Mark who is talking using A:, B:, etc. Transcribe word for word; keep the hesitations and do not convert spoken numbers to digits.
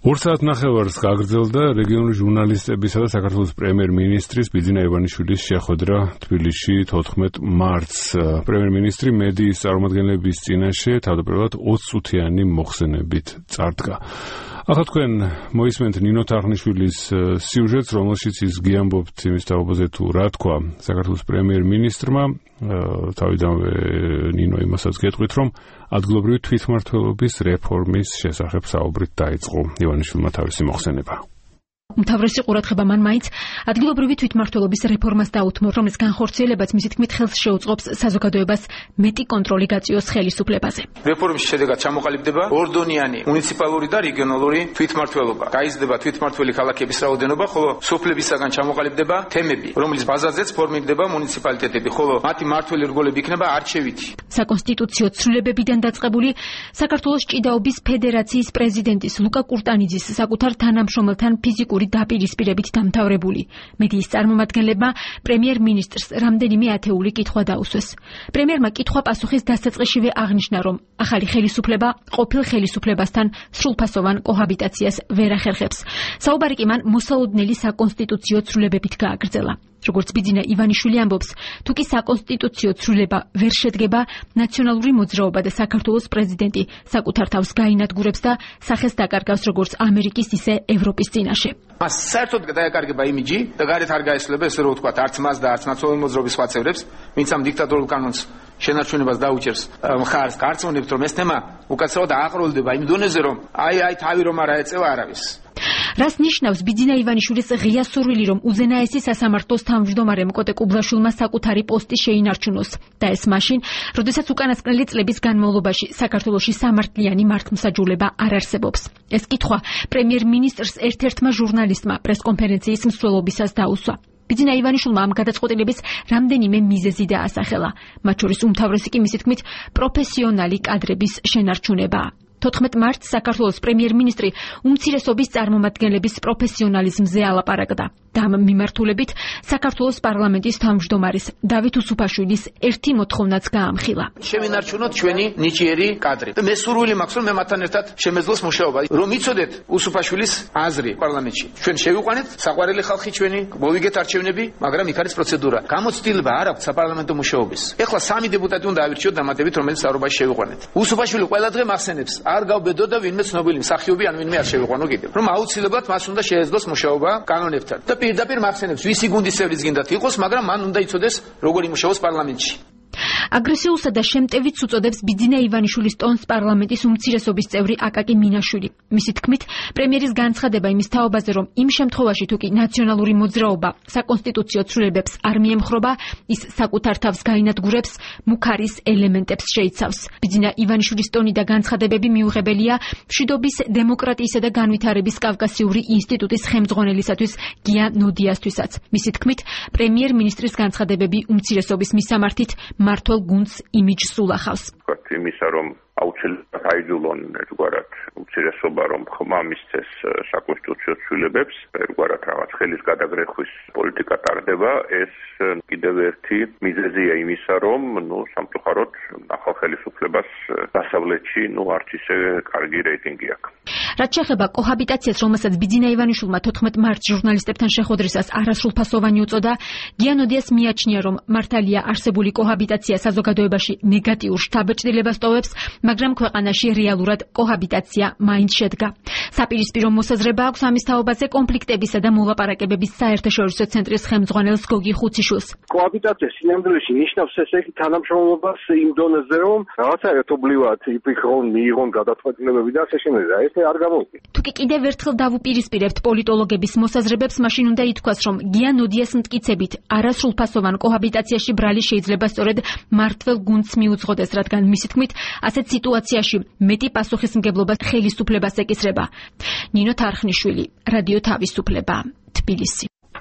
A: ორ საათნახევარს გაგრძელდა რეგიონული ჟურნალისტებისა და საქართველოს პრემიერ-მინისტრის ბიძინა ივანიშვილის შეხვედრა თბილისში თოთხმეტ მარტს. პრემიერ-მინისტრი მედიის წარმომადგენლების წინაშე თავდაპირველად ოცწუთიანი მოხსენებით წარდგა. ახლა თქვენ მოისმენთ ნინო თარხნიშვილის სიუჟეტს, რომელშიც ის გიამბობთ იმის თაობაზე თუ რა თქვა საქართველოს პრემიერ-მინისტრმა. თავიდანვე ნინო იმასაც გეტყვით, რომ ადგილობრივი თვითმმართველობის რეფორმის შესახებ საუბრით დაიწყო ივანიშვილმა თავისი მოხსენება.
B: უმთავრესი ყურადღება მან მაინც ადგილობრივი თვითმმართველობის რეფორმას დაუთმო, რომლის განხორციელებაც მისი თქმით ხელს შეუწყობს საზოგადოებას მეტი კონტროლი გაწიოს ხელისუფლებაზე.
C: რეფორმის შედეგად ჩამოყალიბდება ორდონიანი მუნიციპალური და რეგიონალური თვითმმართველობა. გაიზრდება თვითმმართველი ქალაქების რაოდენობა, ხოლო სოფლებისაგან ჩამოყალიბდება თემები, რომლის ბაზაზეც ფორმირდება მუნიციპალიტეტები, ხოლო მათი მმართველი რგოლები იქნება არჩევითი.
B: საკონსტიტუციო ცვლილებებიდან დაწყებული საქართველოს ჭიდაობის ფედერაციის პრეზიდენტის ლუკა კურტანიძის საკუთარ თანამშრომელთან ფიზიკური დაპირისპირებით დამთავრებული. მედიის წარმომადგენლებმა პრემიერ-მინისტრს რამდენიმე ათეული კითხვა დაუსვეს. პრემიერმა კითხვა-პასუხის დასაწყისშივე აღნიშნა, რომ ახალი ხელისუფლება ყოფილ ხელისუფლებასთან სრულფასოვან კოჰაბიტაციას ვერ ახერხებს. საუბარი კი მან მოსალოდნელი საკონსტიტუციო ცვლილებებით გააგრძელა. როგორც ბიძინა ივანიშვილი ამბობს, თუ კი საკონსტიტუციო ცვლილება ვერ შედგება, ნაციონალური მოძრაობა და საქართველოს პრეზიდენტი საკუთარ თავს გაინადგურებს და სახეს დაკარგავს როგორც ამერიკის, ისე ევროპის წინაშე.
C: მას საერთოდ დაეკარგება იმიჯი და გარეთ არ გაესწრება, ესე რომ ვთქვათ, არც მას და არც ნაციონალური მოძრაობის სხვა წევრებს, ვინც ამ დიქტატორულ კანონს შენარჩუნებას დაუჭერს მხარს, გარწმუნებთ, რომ ეს თემა უკაცრავად აყროლდება იმ დონეზე, რომ აი აი თავი რომ არ აეწევა არავის.
B: რას ნიშნავს ბიძინა ივანიშვილის ღია სურვილი, რომ უზენაესი სასამართლოს თავმჯდომარემ კოტე კუბლაშვილმა საკუთარი პოსტი შეინარჩუნოს და ეს მაშინ, როდესაც უკანასკნელი წლების განმავლობაში საქართველოში სამართლიანი მართლმსაჯულება არ არსებობს. ეს კითხვა პრემიერ-მინისტრს ერთ-ერთმა ჟურნალისტმა პრესკონფერენციის მსვლელობისას დაუსვა. ბიძინა ივანიშვილმა ამ გადაწყვეტილების რამდენიმე მიზეზი დაასახელა. მათ შორის უმთავრესი კი მისი თქმით პროფესიონალი კადრების შენარჩუნება. თოთხმეტ მარტს საქართველოს პრემიერ-მინისტრი უმცირესობის წარმომადგენლების პროფესიონალიზმზე ალაპარაკდა და ამ მიმართულებით საქართველოს პარლამენტის თავმჯდომარის დავით უსუფაშვილის ერთი მოთხოვნაც გაამხილა.
C: შევინარჩუნოთ ჩვენი ნიჭიერი კადრი. მე სურვილი მაქვს, რომ მე მათთან ერთად შემეძლოს მუშაობა, რომ იცოდეთ უსუფაშვილის აზრი პარლამენტში. ჩვენ შევიყვანეთ საყვარელი ხალხი ჩვენი, მოვიგეთ არჩევნები, მაგრამ იქ არის პროცედურა. გამოცდილება არ აქვს საპარლამენტო მუშაობის. ეხლა სამი დეპუტატი უნდა ავირჩიოთ დამატებით, რომელიც საუბარში შევიყვანეთ. უსუფაშვილი ყველა დღე მახსენებს, არ გავბედო და ვინმე ცნობილი მსახიობი ან ვინმე არ შევიყვანო კიდევ. რომ აუცილებლად მას უნდა შეეძლოს მუშაობა კანონებთან. და პირდაპირ მახსენებს, ვისი გუნდის წევრიც გინდათ იყოს, მაგრამ მან უნდა იცოდეს, როგორ იმუშაოს პარლამენტში.
B: აგრესიულსა და შემტევიც უწოდებს ბიძინა ივანიშვილის ტონს პარლამენტის უმცირესობის წევრი აკაკი მინაშვილი. მისი თქმით, პრემიერის განცხადება იმის თაობაზე, რომ იმ შემთხვევაში თუ კი ნაციონალური მოძრაობა საკონსტიტუციო ცვლილებებს არ მიემხრობა, ის საკუთარ თავს გაინადგურებს, მუქარის ელემენტებს შეიცავს. ბიძინა ივანიშვილის ტონი და განცხადებები მიუღებელია მშვიდობის, დემოკრატიისა და განვითარების კავკასიური ინსტიტუტის ხელმძღვანელისათვის გია ნოდიასთვისაც. მისი თქმით, პრემიერ-მინისტრის განცხადებები უმცირესობის მისამართით მართლ გუნდს იმიჯს ულახავს.
D: იმისა, რომ აუცილებლად აიძულონ ერთგვარად უმცირესობა, რომ ხმა მისცეს საკონსტიტუციო ცვლილებებს, ერთგვარად რაღაც ხელის გადაგრეხვის პოლიტიკა ტარდება, ეს კიდევ ერთი მიზეზია იმისა, რომ ნუ სამწუხაროდ ახალ ხელისუფლებას დასავლეთში ნუ არც ისე კარგი რეიტინგი აქვს.
B: რაც შეეხება კოჰაბიტაციას, რომელსაც ბიძინა ივანიშვილმა თოთხმეტ მარტს ჟურნალისტებთან შეხვედრისას არასრულფასოვანი უწოდა, გია ნოდიას მიაჩნია, რომ მართალია არსებული კოჰაბიტაცია საზოგადოებაში ნეგატიურ შთაბეჭდილებას ტოვებს, მაგრამ ქვეყანაში რეალურად კოჰაბიტაცია მაინც შედგა. საპირისპირო მოსაზრება აქვს ამის თაობაზე კონფლიქტებისა და მოლაპარაკებების საერთაშორისო ცენტრის ხელმძღვანელს გოგი ხუციშვილს.
E: კოჰაბიტაცია სინამდვილეში ნიშნავს ესე იგი თანამშრომლობას იმ დონეზე, რომ რაღაცა ერთობლივად იფიქრონ, მიიღონ გადაწყვეტილებები და ასე შემდეგ. ეს არ გამოვიდა.
B: თუ კი კიდევ ერთხელ დავუპირისპირებთ პოლიტოლოგების მოსაზრებებს, მაშინ უნდა ითქვას, რომ გია ნოდიას მტკიცებით არასრულფასოვან კოჰაბიტაციაში ბრალი შეიძლება სწორედ მართლ გუნდს მიუძღოდეს, რადგან მისი თქმით, ასეთ სიტუაციაში მეტი პასუხისმგებლობა ხელისუფლებას ეკისრება. ნინო თარხნიშვილი, რადიო თავისუფლება, თბილისი.